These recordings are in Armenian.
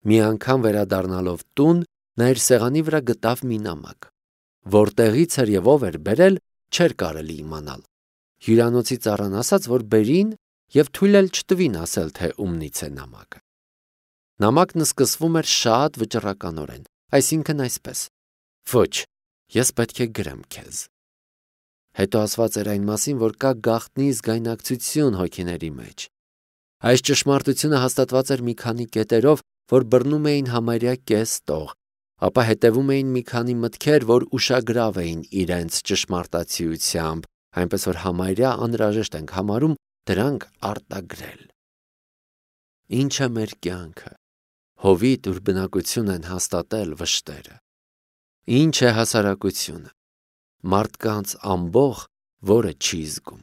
Մի անգամ վերադառնալով տուն, նա իր սեղանի վրա գտավ մի նամակ, որտեղից էր եւ ով էր բերել, չէր կարելի իմանալ։ Հյուրանոցի ծառան ասաց, որ բերին եւ թույլ էլ չտվին ասել, թե ումնից է նամակը։ Նամակն սկսվում էր շատ վճռականորեն, այսինքն այսպես. «Ոչ, ես պետք է գրեմ քեզ»։ Հետո ասված էր այն մասին, որ կա գաղտնի զգայնակցություն հոգիների մեջ։ Այս ճշմարտությունը հաստատված էր մի քանի կետերով, որ բռնում էին համարյա կես տող, ապա հետևում էին մի քանի մտքեր, որ ուշագրավ էին իրենց ճշմարտացիությամբ, այնպես որ համարյա անհրաժեշտ ենք համարում դրանք արտագրել։ Ինչ է մեր կյանքը։ Հովիտ ուր բնակություն են հաստատել վշտերը։ Ինչ է հասարակությունը։ Մարդկանց ամբոխ, որը չի զգում։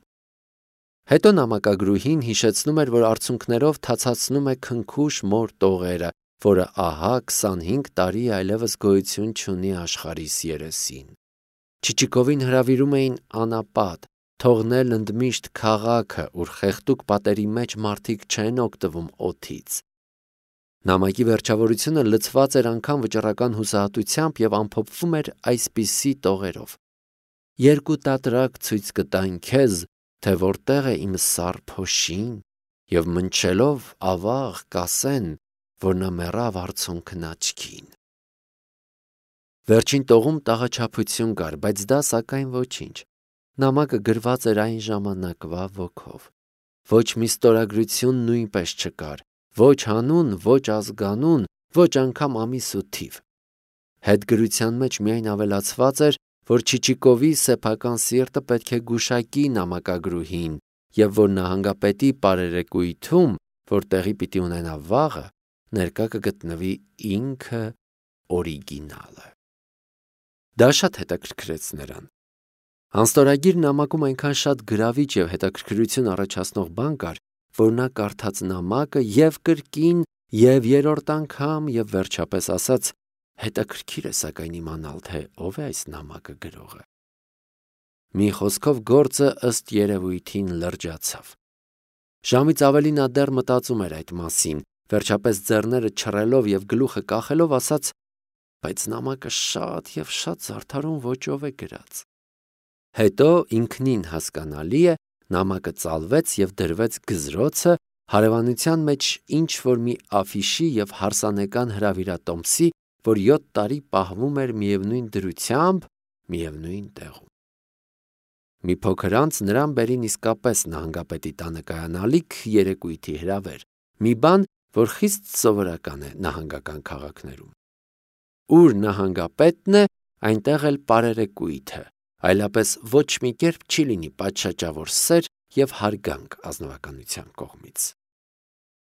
Հետո նամակագրուհին հիշեցնում էր, որ արցունքներով թացացնում է քնքուշ մոր տողերը, որը ահա 25 տարի այլևս գոյություն չունի աշխարհիս երեսին։ Չիչիկովին հրավիրում էին անապատ, թողնել ընդմիշտ քաղաքը, ուր խեղդուկ պատերի մեջ մարդիկ չեն օգտվում օդից։ Նամակի վերջավորությունը լցված էր անգամ վճռական հուսահատությամբ եւ ամփոփվում էր այսպիսի տողերով. «Երկու տատրակ ցույց կտան քեզ, թե որտեղ է իմ սառ փոշին, եւ մնչելով ավաղ կասեն, որ նա մեռավ արցունքն աչքին»։ Վերջին տողում տաղաչափություն կար, բայց դա սակայն ոչինչ։ Նամակը գրված էր այն ժամանակվա ոգով։ Ոչ մի ստորագրություն նույնպես չկար, ոչ հանուն, ոչ ազգանուն, ոչ անգամ ամիս ու թիվ։ Հետգրության մեջ միայն ավելացված էր, որ Չիչիկովի սեփական սիրտը պետք է գուշակի նամակագրուհին եւ որ նահանգապետի պարերեկույթում, որ տեղի պիտի ունենա վաղը, ներկա կգտնվի ինքը օրիգինալը։ Դա շատ հետաքրքրեց նրան։ Անստորագիր նամակում այնքան շատ գրավիչ եւ հետաքրքրություն առաջացնող բան կար, որ նա կարդաց նամակը եւ կրկին եւ երրորդ անգամ եւ վերջապես ասաց. հետաքրքիր է սակայն իմանալ, թե ով է այս նամակը գրողը։ Մի խոսքով գործը ըստ երևույթին լրջացավ։ Ժամից ավելի նա դեռ մտածում էր այդ մասին, վերջապես ձեռները չռելով եւ գլուխը կախելով ասաց. բայց նամակը շատ եւ շատ զարդարուն ոճով է գրած։ Հետո ինքնին հասկանալի է, նամակը ծալվեց եւ դրվեց գզրոցը, հարևանության մեջ ինչ-որ մի աֆիշի եւ հարսանեկան հրավիրատոմսի, որ 7 տարի պահվում էր միևնույն դրությամբ, միևնույն տեղում։ Մի փոքր անց նրան բերին իսկապես նահանգապետի տանը կայանալիք երեկույթի հրավեր, մի բան, որ խիստ սովորական է նահանգական քաղաքներում։ Ուր նահանգապետն է, այնտեղ էլ պարերեկույթը, այլապես ոչ մի կերպ չի լինի պատշաճավոր սեր եւ հարգանք ազնվականության կողմից։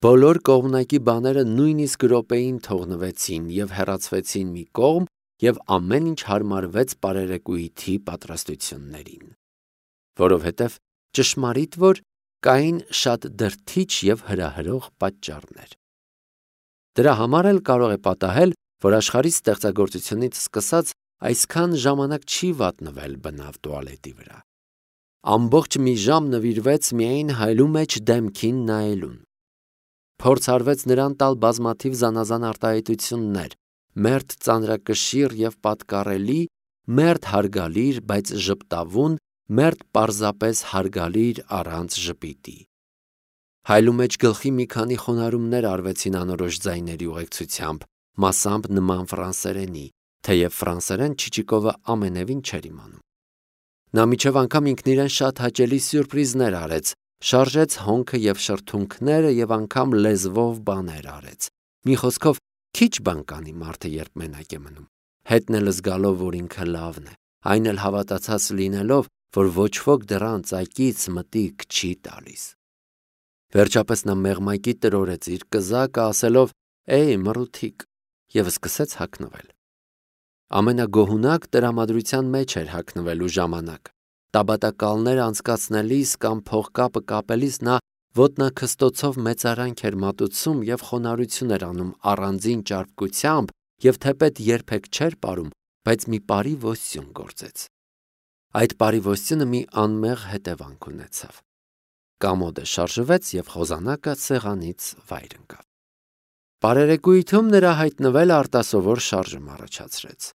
Բոլոր կողմնակի բաները նույնիսկ րոպեին թողնվեցին եւ հեռացվեցին մի կողմ եւ ամեն ինչ հարմարվեց պարերեկույթի պատրաստություններին։ Որովհետեւ ճշմարիտ որ կային շատ դրդիչ եւ հրահրող պատճառներ։ Դրա համար էլ կարող է պատահել, որ աշխարհի ստեղծագործությունից սկսած այսքան ժամանակ չի վատնվել բնավ տուալետի վրա։ Ամբողջ մի ժամ նվիրվեց միայն հայելու մեջ դեմքին նայելուն։ Փորձ արվեց նրան տալ բազմաթիվ զանազան արտահայտություններ, մերթ ծանրակշիռ եւ պատկառելի, մերթ հարգալիր, բայց ժպտավուն, մերթ պարզապես հարգալիր առանց ժպիտի։ Հայելու մեջ գլխի մի քանի խոնարհումներ արվեցին անորոշ ձայների ուղեկցությամբ, մասամբ նման ֆրանսերենի, թեև ֆրանսերեն Չիչիկովը ամենևին չէր իմանում։ Նա միջև անգամ ինքն իրեն շատ հաճելի սյուրպրիզներ արեց, շարժեց հոնքը եւ շրթունքները եւ անգամ լեզվով բաներ արեց։ Մի խոսքով, քիչ բան կանի մարդը, երբ մենակ է մնում, հետն էլ զգալով, որ ինքը լավն է, այն էլ հավատացած լինելով, որ ոչ ոք դրան ծակից մտիկ չի տալիս։ Վերջապես նա մեղմակի տրորեց իր կզակը, ասելով. «Էй, մռութիկ», եւ սկսեց հագնվել։ Ամենագոհունակ տրամադրության մեջ էր հագնվելու ժամանակ։ Տաբատակալներ անցկացնելիս կամ փողկապը կապելիս նա ոտնաքստոցով մեծարանք էր մատուցում եւ խոնարհություն էր անում առանձին ճարպկությամբ եւ թեպետ երբեք չէր ապարում, բայց մի բարի ոստյուն գործեց։ Այդ բարի ոստյունը մի անմեղ հետևանք ունեցավ։ Կամոդը շարժվեց եւ խոզանակը սեղանից վայր ընկավ։ Բարերեկույթում նրա հայտնվելը արտասովոր շարժում առաջացրեց։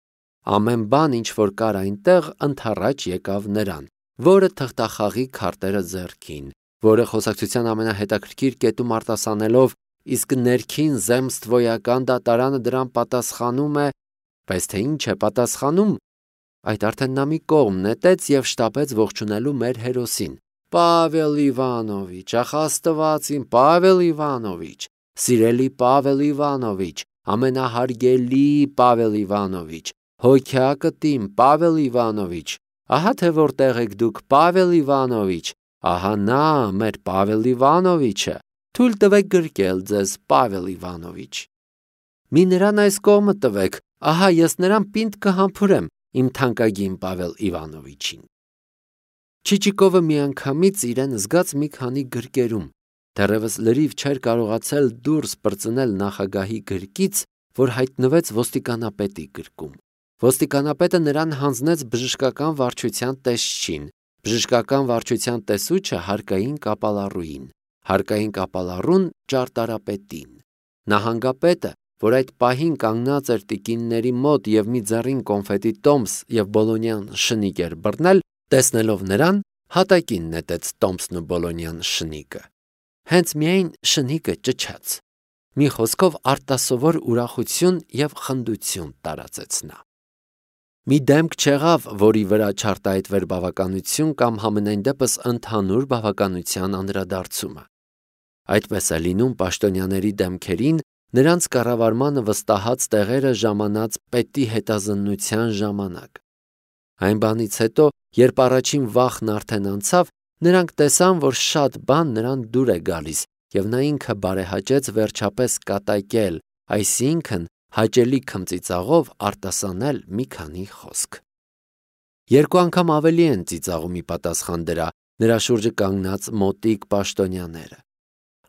Ամեն բան, ինչ որ կար այնտեղ, ընդառաջ եկավ նրան, որը թղթախաղի քարտերը ձեռքին, որը խոսակցության ամենահետաքրքիր կետում արտասանելով, իսկ ներքին զեմստվոյական դատարանը դրան պատասխանում է, բայց թե ինչ է պատասխանում, այդ արդեն նա մի կողմ նետեց եւ շտապեց ողջունելու մեր հերոսին։ Պավել Իվանովիչ, ախ Աստվածին, Պավել Իվանովիչ, սիրելի Պավել Իվանովիչ, ամենահարգելի Պավել Իվանովիչ, հոգյակտիմ Պավել Իվանովիչ, ահա թե որտեղ եք դուք, Պավել Իվանովիչ, ահա նա մեր Պավել Իվանովիչը, թույլ տվեք գրկել ձեզ, Պավել Իվանովիչ։ Մի նրան այս կողմը տվեք, ահա ես նրան պինդ կհամբուրեմ, իմ թանկագին Պավել Իվանովիչին։ Չիչիկովը միանգամից իրեն զգաց մի քանի գրկերում, դեռևս լրիվ չէր կարողացել դուրս պրծնել նախագահի գրկից, որ հայտնվեց ոստիկանապետի գրկում։ Ոստիկանապետը նրան հանձնեց բժշկական վարչության տեսչին, բժշկական վարչության տեսուչը հարկային կապալառուին, հարկային կապալառուն ճարտարապետին։ Նահանգապետը, որ այդ պահին կանգնած էր տիկինների մոտ եւ մի ձեռին կոնֆետի տոմս եւ բոլոնյան շնիկ էր բռնել, տեսնելով նրան, հատակին նետեց տոմսն ու բոլոնյան շնիկը։ Հենց միայն շնիկը ճչաց։ Մի խոսքով արտասովոր ուրախություն եւ խնդություն տարածեց նա։ Մի դեմք չեղավ, որի վրա չարտահայտվեր բավականություն կամ համենայն դեպս ընդհանուր բավականության անդրադարձումը։ Այդպես է լինում պաշտոնյաների դեմքերին, նրանց կառավարմանը վստահած տեղերը ժամանած պետի հետազննության ժամանակ։ Այն բանից հետո, երբ առաջին վախն արդեն անցավ, նրանք տեսան, որ շատ բան նրան դուր է գալիս, եւ նա ինքը բարեհաճեց վերջապես կատակել, այսինքն հաճելի քմծիծաղով արտասանել մի քանի խոսք։ Երկու անգամ ավելի են ծիծաղում ի պատասխան դրա նրա շուրջը կանգնած մոտիկ պաշտոնյաները։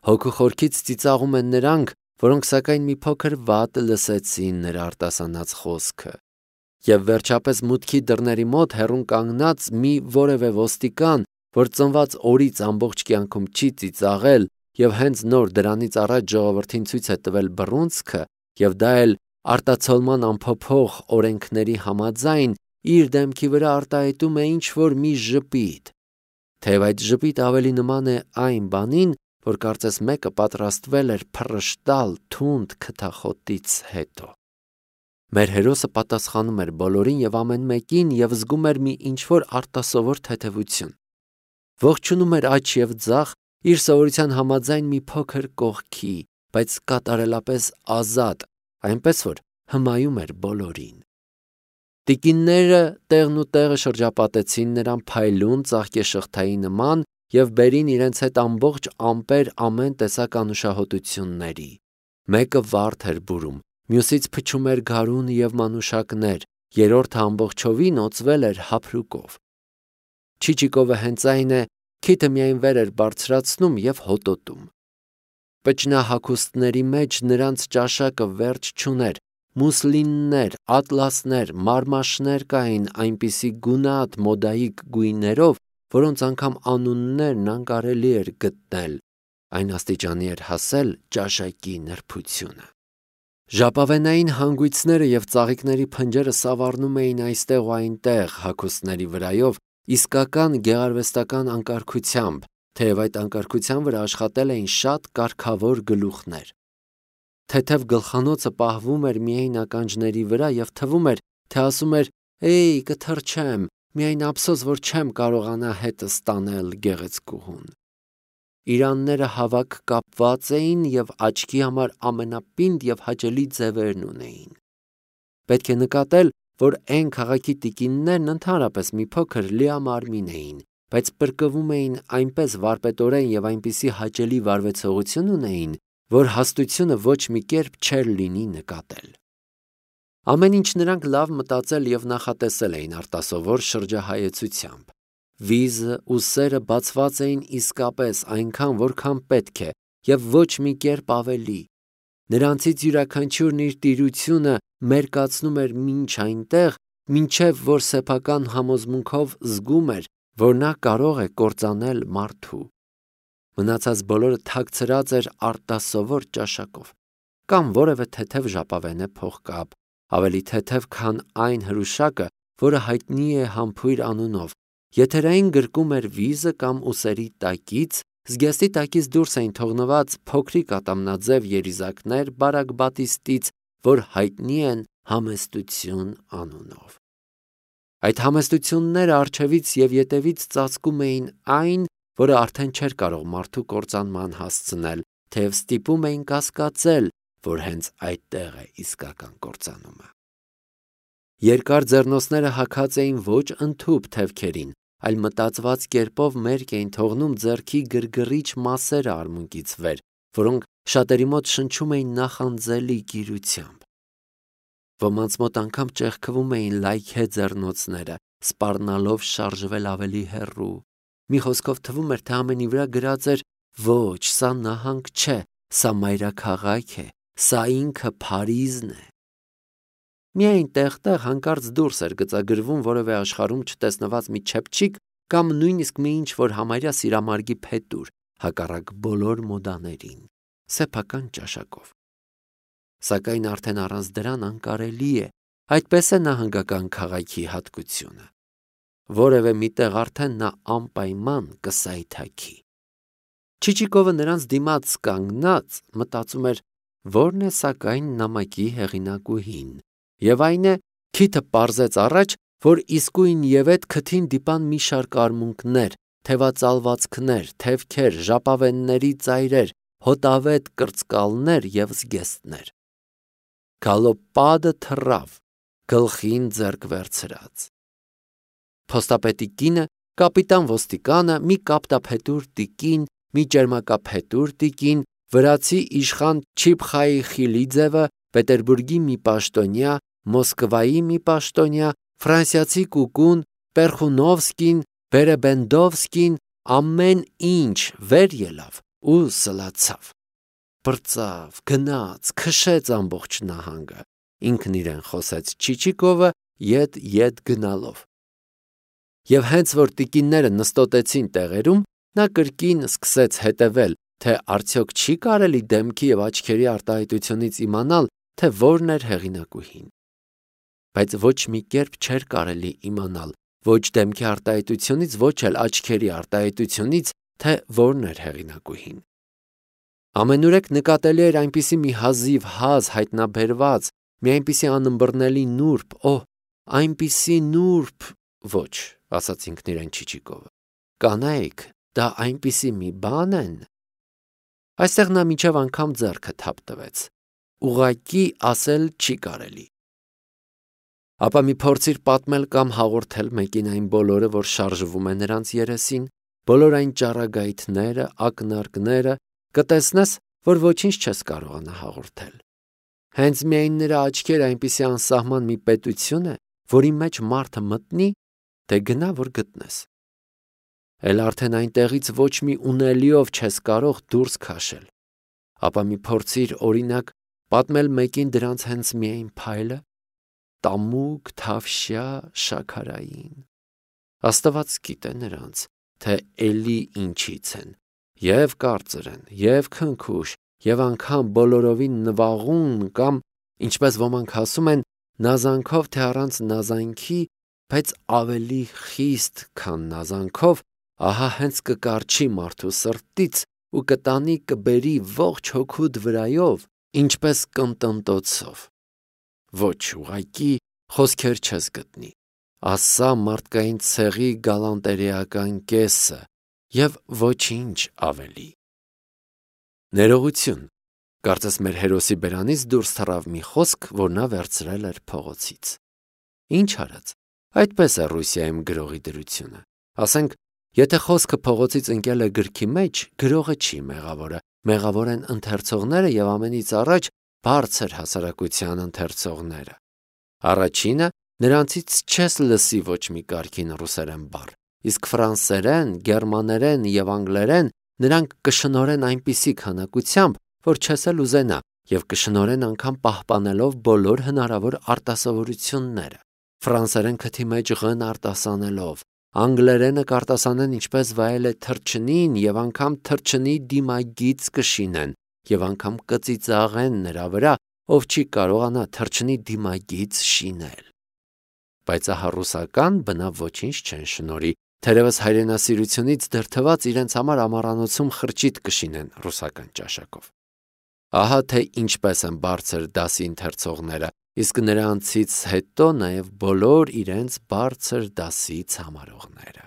Հոգու խորքից ծիծաղում են նրանք, որոնք սակայն մի փոքր վատ լսեցին նրա արտասանած խոսքը։ Եվ վերջապես մուտքի դռների մոտ հեռուն կանգնած մի որևէ ոստիկան, որ ծնված օրից ամբողջ կյանքում չի ծիծաղել եւ հենց նոր դրանից առաջ ժողովրդին ցույց է տվել բռունցքը, եւ դա էլ արտացոլման անփոփոխ օրենքների համաձայն իր դեմքի վրա արտահայտում է ինչ-որ մի ժպիտ, թեև այդ ժպիտ ավելի նման է այն բանին, որ կարծես մեկը պատրաստվել էր փռշտալ թունդ քթախոտից հետո։ Մեր հերոսը պատասխանում էր բոլորին եւ ամեն մեկին եւ զգում էր մի ինչ-որ արտասովոր թեթևություն։ Ողջունում էր աջ եւ ձախ իր սովորության համաձայն մի փոքր կողքի, բայց կատարելապես ազատ, այնպես որ հմայում էր բոլորին։ Տիկինները տեղն ու տեղը շրջապատեցին նրան փայլուն ծաղկեշղթայի նման եւ բերին իրենց հետ ամբողջ ամպեր ամեն տեսակ անուշահոտությունների։ Մեկը վարդ էր բուրում, մյուսից փչում էր գարուն եւ մանուշակներ, երրորդը ամբողջովին օծվել էր հափրուկով։ Չիչիկովը հենց այն է, քիթը միայն վեր էր բարձրացնում եւ հոտոտում։ Պճնահագուստների մեջ նրանց ճաշակը վերջ չուներ, մուսլիններ, ատլասներ, մարմաշներ կային այնպիսի գունատ մոդայիկ գույներով, որոնց անգամ անուններն անկարելի էր գտնել, այն աստիճանի էր հասել ճաշակի նրբությունը։ Ժապավենային հանգույցները եւ ծաղիկների փնջերը սավառնում էին այստեղ ու այնտեղ հագուստների վրայով իսկական գեղարվեստական անկարգությամբ, թեև այդ անկարգության վրա աշխատել էին շատ կարգավոր գլուխներ։ Թեթև գլխանոցը պահվում էր միայն ականջների վրա եւ թվում էր, թե ասում էր. «Էй, կթրջեմ, միայն ափսոս, որ չեմ կարողանա հետս տանել գեղեցկուհուն»։ Իրանները հավաք կապված էին եւ աչքի համար ամենապինդ եւ հաճելի ձևերն ունեին։ Պետք է նկատել, որ այն քաղաքի տիկիններն ընդհանրապես մի փոքր լիամարմին էին, բայց պրկվում էին այնպես վարպետորեն եւ այնպիսի հաճելի վարվեցողություն ունեին, որ հաստությունը ոչ մի կերպ չէր լինի նկատել։ Ամեն ինչ նրանք լավ մտածել եւ նախատեսել էին արտասովոր շրջահայեցությամբ։ Վիզը ու սերը բացված էին իսկապես այնքան, որքան պետք է, եւ ոչ մի կերպ ավելի։ Նրանցից յուրաքանչյուրն իր տիրությունը մերկացնում էր մինչ այնտեղ, մինչև որ սեփական համոզմունքով զգում էր, որ նա կարող է կործանել մարդու։ Մնացած բոլորը թաքցրած էր արտասովոր ճաշակով։ կամ որևէ թեթև ժապավենե փողկապ, ավելի թեթև, քան այն հրուշակը, որը հայտնի է համբույր անունով, եթերային գրկում էր վիզը կամ ուսերի տակից, զգեստի տակից դուրս էին թողնված փոքրիկ ատամնաձև երիզակներ բարակ բատիստից, որ հայտնի են համեստություն անունով։ Այդ համեստությունները առջևից և ետևից ծածկում էին այն, որը արդեն չէր կարող մարդու կործանման հասցնել, թեև ստիպում էին կասկածել, որ հենց այդտեղ է իսկական կործանումը։ Երկար ձեռնոցները հագած էին ոչ ընդհուպ թևքերին, այլ մտածված կերպով մերկ էին թողնում ձեռքի գրգռիչ մասերը արմունկից վեր, որոնք շատերի մոտ շնչում էին նախանձելի գիրությամբ։ Ոմանց մոտ անգամ ճեղքվում էին լայքե ձեռնոցները, սպառնալով շարժվել ավելի հեռու։ Մի խոսքով թվում էր, թե ամենի վրա գրած էր. «Ոչ, սա նահանգ չէ, սա մայրաքաղաք է, սա ինքը Փարիզն է»։ Միայն տեղ-տեղ հանկարծ դուրս էր գծագրվում որևէ աշխարհում չտեսնված մի չեփչիկ կամ նույնիսկ մի ինչ-որ համարյա սիրամարգի փետուր, հակառակ բոլոր մոդաներին, սեփական ճաշակով։ Սակայն արդեն առանց դրան անկարելի է, այդպես է նահանգական քաղաքի հատկությունը։ Որևէ միտեղ արդեն նա անպայման կսայթաքի։ Չիչիկովը նրանց դիմաց կանգնած մտածում էր, որն է սակայն նամակի հեղինակուհին, եւ այն է, քիթը պարզեց առաջ, որ իսկույն եւ այդ քթին դիպան մի շարք արմունկներ, թևածալվածքներ, թևքեր, ժապավենների ծայրեր, հոտավետ կրծկալներ եւ զգեստներ։ Գալոպադը թռավ, գլխին ձեռք վերցրած։ Փոստապետի կինը, կապիտան ոստիկանը, մի կապտափետուր տիկին, մի ճերմակափետուր տիկին, վրացի իշխան Չիփխայի Խիլիձևը, Պետերբուրգի մի պաշտոնյա, Մոսկվայի մի պաշտոնյա, ֆրանսիացի կուկուն, Պերխունովսկին, Բերեբենդովսկին, ամեն ինչ վեր ելավ ու սլացավ։ Պրծավ, գնաց, քշեց ամբողջ նահանգը, ինքն իրեն խոսեց Չիչիկովը ետ գնալով։ Եվ հենց որ տիկինները նստոտեցին տեղերում, նա կրկին սկսեց հետևել, թե արդյոք չի կարելի դեմքի և աչքերի արտահայտությունից իմանալ, թե որն էր հեղինակուհին։ Բայց ոչ մի կերպ չէր կարելի իմանալ, ոչ դեմքի արտահայտությունից, ոչ էլ աչքերի արտահայտությունից, թե որն էր հեղինակուհին։ Ամենուրեք նկատելի էր այնպիսի մի հազիվ հազ հայտնաբերված, մի այնպիսի անըմբռնելի նուրբ, այնպիսի նուրբ, ոչ, ասաց ինքն իրեն Չիչիկովը, կանայք, դա այնպիսի մի բան են։ Այստեղ նա մինչև անգամ ձեռքը թափ տվեց, ուղղակի ասել չի կարելի։ Ապա մի փորձիր պատմել կամ հաղորդել մեկին այն բոլորը, որ շարժվում է նրանց երեսին, բոլոր այն ճառագայթները, ակնարկները, կտեսնես, որ ոչինչ չես կարողանա հաղորդել։ Հենց միայն նրա աչքերը այնպիսի անսահման մի պետություն է, որի մեջ մարդը մտնի, դե գնա, որ գտնես։ Էլ արդեն այնտեղից ոչ մի ունելիով չես կարող դուրս քաշել։ Ապա մի փորձիր, օրինակ, պատմել մեկին դրանց հենց միայն փայլը, տամուկ, թավշյա, շաքարային։ Աստված գիտե նրանց, թե էլի ինչից են, և կարծր են, և քնքուշ, և անգամ բոլորովին նվաղուն կամ, ինչպես ոմանք ասում են, նազանքով թե առանց նազանքի, բայց ավելի խիստ, քան նազանքով, ահա հենց կկառչի մարդու սրտից ու կտանի կբերի ողջ հոգուդ վրայով, ինչպես կնտնտոցով։ Ոչ, ուղղակի խոսքեր չես գտնի, ասա մարդկային ցեղի գալանտերեական կեսը և ոչինչ ավելի։ Ներողություն, կարծես մեր հերոսի բերանից դուրս թռավ մի խոսք, որ նա վերցրել էր փողոցից։ Ինչ արած, այդպես է Ռուսիայում գրողի դրությունը։ Ասենք, եթե խոսքը փողոցից ընկել է գրքի մեջ, գրողը չի մեղավորը, մեղավոր են ընթերցողները և ամենից առաջ բարձր հասարակության ընթերցողները։ Առաջինը, նրանցից չես լսի ոչ մի կարգին ռուսերեն բառ, իսկ ֆրանսերեն, գերմաներեն և անգլերեն նրանք կշնորեն այնպիսի քանակությամբ, որ չես էլ ուզենա, և կշնորեն անգամ պահպանելով բոլոր հնարավոր արտասովորությունները, ֆրանսերեն քթի մեջ ղ-ն արտասանելով, անգլերենը կարտասանեն ինչպես վայել է թռչնին և անգամ թռչնի դիմագիծ կշինեն, եւ անգամ կծիծաղեն նրա վրա, ով չի կարողանա թռչնի դիմագից շինել։ Բայց ահա ռուսական բնավ ոչինչ չեն շնորհի, թերևս հայրենասիրությունից դրդված իրենց համար ամառանոցում խրճիթ կշինեն ռուսական ճաշակով։ Ահա թե ինչպես են բարձր դասի ընթերցողները, իսկ նրանցից հետո նաև բոլոր իրենց բարձր դասից համարողները։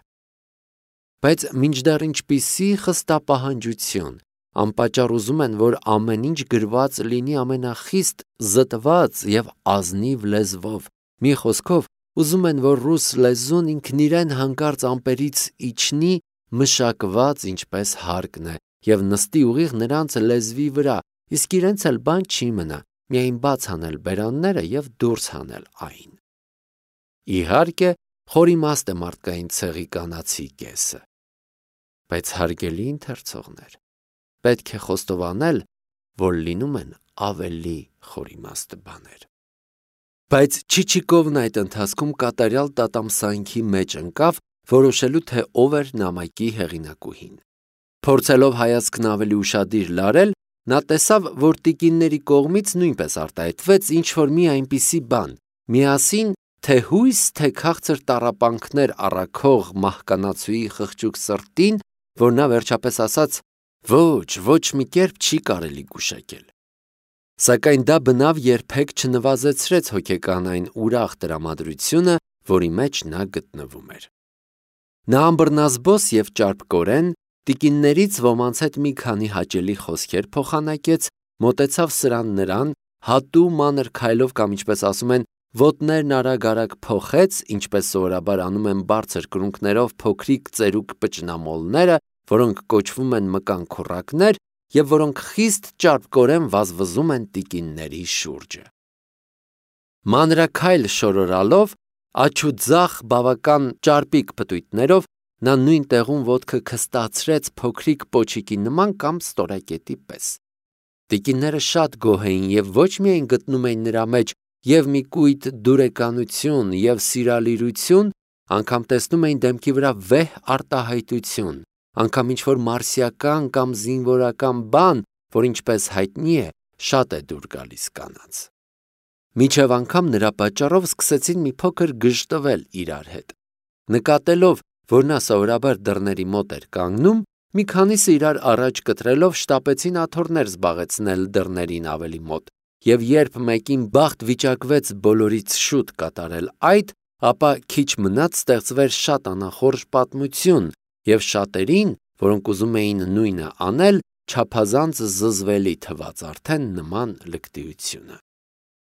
Բայց մինչդեռ ինչպիսի խստապահանջություն, անպատճառ ուզում են, որ ամեն ինչ գրված լինի ամենախիստ զտված եւ ազնիվ լեզվով, մի խոսքով ուզում են, որ ռուս լեզուն ինքն իրեն հանկարծ ամպերից իջնի մշակված ինչպես հարկն է եւ նստի ուղիղ նրանց լեզվի վրա, իսկ իրենց էլ բան չի մնա, միայն բաց անել բերանները եւ դուրս հանել այն։ Իհարկե, խորիմաստ է մարդկային ցեղի կանացի կեսը։ Բայց հարգելի ընթերցողներ, պետք է խոստովանել, որ լինում են ավելի խորիմաստ բաներ։ Բայց Չիչիկովն այդ ընթացքում կատարյալ տատամսանքի մեջ ընկավ, որոշելու թե ով էր նամակի հեղինակուհին։ Փորձելով հայացքն ավելի ուշադիր լարել, նա տեսավ, որ տիկինների կողմից նույնպես արտահայտվեց ինչ-որ մի այնպիսի բան, միասին թե հույս, թե քաղցր տառապանքներ առաքող մահկանացուի խղճուկ սրտին, որ նա վերջապես ասաց. ոչ մի կերպ չի կարելի գուշակել։ Սակայն դա բնավ երբեք չնվազեցրեց հոգեկան այն ուրախ տրամադրությունը, որի մեջ նա գտնվում էր։ Նա ամբռնազբոս եւ ճարպկորեն տիկիններից ոմանց հետ մի քանի հաճելի խոսքեր փոխանակեց, մոտեցավ սրան նրան, հատու մանր քայլով կամ ինչպես ասում են, ոտներն արագ-արագ փոխեց, ինչպես սովորաբար անում են բարձր կրունկներով փոքրիկ ծերուկ պճնամոլները, որոնք կոչվում են մկան քուռակներ եւ որոնք խիստ ճարպկորեն վազվզում են տիկինների շուրջը։ Մանրաքայլ շորորալով, աչուձախ բավական ճարպիկ պտույտներով նա նույն տեղում ոտքը քստացրեց փոքրիկ պոչիկի նման կամ ստորակետի պես։ Տիկինները շատ գոհ էին եւ ոչ միայն գտնում էին նրա մեջ եւ մի կույտ դուրեկանություն եւ սիրալիրություն, անգամ տեսնում էին դեմքի վրա վեհ արտահայտություն, անգամ ինչ-որ մարսիական կամ զինվորական բան, որ ինչպես հայտնի է, շատ է դուր գալիս կանանց։ Մինչև անգամ նրա պատճառով սկսեցին մի փոքր գժտվել իրար հետ։ Նկատելով, որ նա սովորաբար դռների մոտ էր կանգնում, մի քանիսը իրար առաջ կտրելով շտապեցին աթոռներ զբաղեցնել դռներին ավելի մոտ, եւ երբ մեկին բախտ վիճակվեց բոլորից շուտ կատարել այդ, ապա քիչ մնաց ստեղծվեր շատ անախորժ պատմություն, եւ շատերին, որոնք ուզում էին նույնը անել, չափազանց զզվելի թվաց արդեն նման լկտիությունը։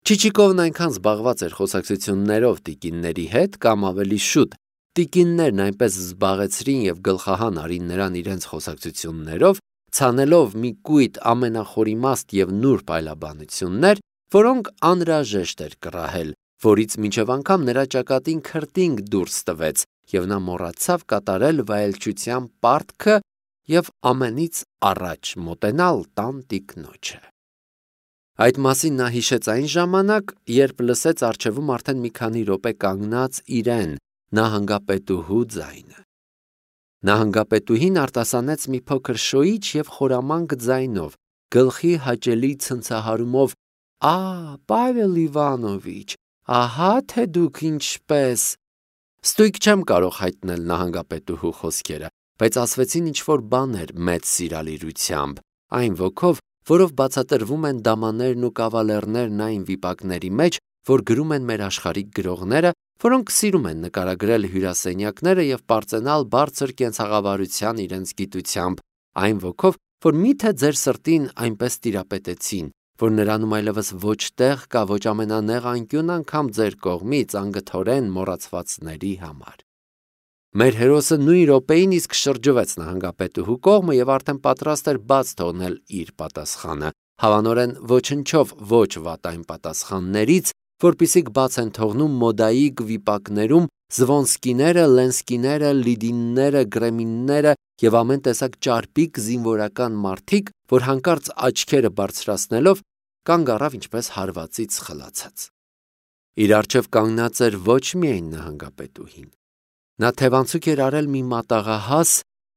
Չիչիկովն այնքան զբաղված էր խոսակցություններով տիկինների հետ, կամ ավելի շուտ, տիկիններն այնպես զբաղեցրին եւ գլխահան արին նրան իրենց խոսակցություններով, ցանելով մի կույտ ամենախորիմաստ եւ նուրբ այլաբանություններ, որոնք անհրաժեշտ էր կռահել, որից մինչև անգամ նրա ճակատին քրտինք դուրս տվեց, եւ նա մոռացավ կատարել վայելչության պարտքը եւ ամենից առաջ մոտենալ տան տիկնոջը։ Այդ մասին նա հիշեց այն ժամանակ, երբ լսեց առջևում արդեն մի քանի րոպե կանգնած իրեն, նահանգապետուհու ձայնը։ Նահանգապետուհին արտասանեց մի փոքր շոյիչ եւ խորամանկ ձայնով, գլխի հաճելի ցնցահարումով. Պավել Իվանովիչ, ահա թե դուք ինչպես… Ստույգ չեմ կարող հայտնել նահանգապետուհու խոսքերը, բայց ասվեցին ինչ-որ բաներ մեծ սիրալիրությամբ, այն ոգով, որով բացատրվում են դամաներն ու կավալերներն այն վիպակների մեջ, որ գրում են մեր աշխարհիկ գրողները, որոնք սիրում են նկարագրել հյուրասենյակները եւ պարծենալ բարձր կենցաղավարության իրենց գիտությամբ, այն ոգով, որ միթե ձեր սրտին այնպես տիրապետեցին, որ նրանում այլևս ոչ տեղ կա ոչ ամենանեղ անկյուն անգամ ձեր կողմից անգթորեն մոռացվածների համար։ Մեր հերոսը նույն րոպեին իսկ շրջվեց նահանգապետուհու կողմը եւ արդեն պատրաստ էր բաց թողնել իր պատասխանը, հավանորեն ոչնչով ոչ վատ այն պատասխաններից, որպիսիք բաց են թողնում մոդայիկ վիպակներում Զվոնսկիները, Լենսկիները, Լիդինները, Գրեմինները եւ ամեն տեսակ ճարպիկ զինվորական մարդիկ, որ հանկարծ աչքերը բարձրացնելով կանգ առավ ինչպես հարվածից խլացած։ Իր առջև կանգնած էր ոչ միայն նահանգապետուհին։ Նա թևանցուկ էր արել մի մատաղահաս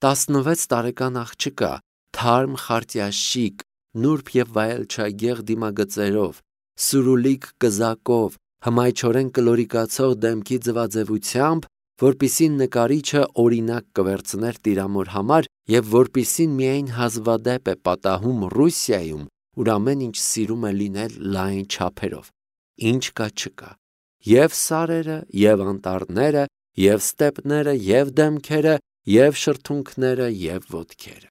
16 տարեկան աղջկա, թարմ խարտյաշիկ, նուրբ եւ վայելչագեղ դիմագծերով, սուրուլիկ կզակով, հմայչորեն կլորիկացող դեմքի ձվաձևությամբ, որպիսի նկարիչը օրինակ կվերցներ տիրամոր համար եւ որպիսին միայն հազվադեպ է պատահում Ռուսիայում, ուր ամեն ինչ սիրում է լինել լայն չափերով, ինչ կա չկա, եւ սարերը, եւ անտառները, եւ ստեպները, եւ դեմքերը, եւ շրթունքները, եւ ոտքերը։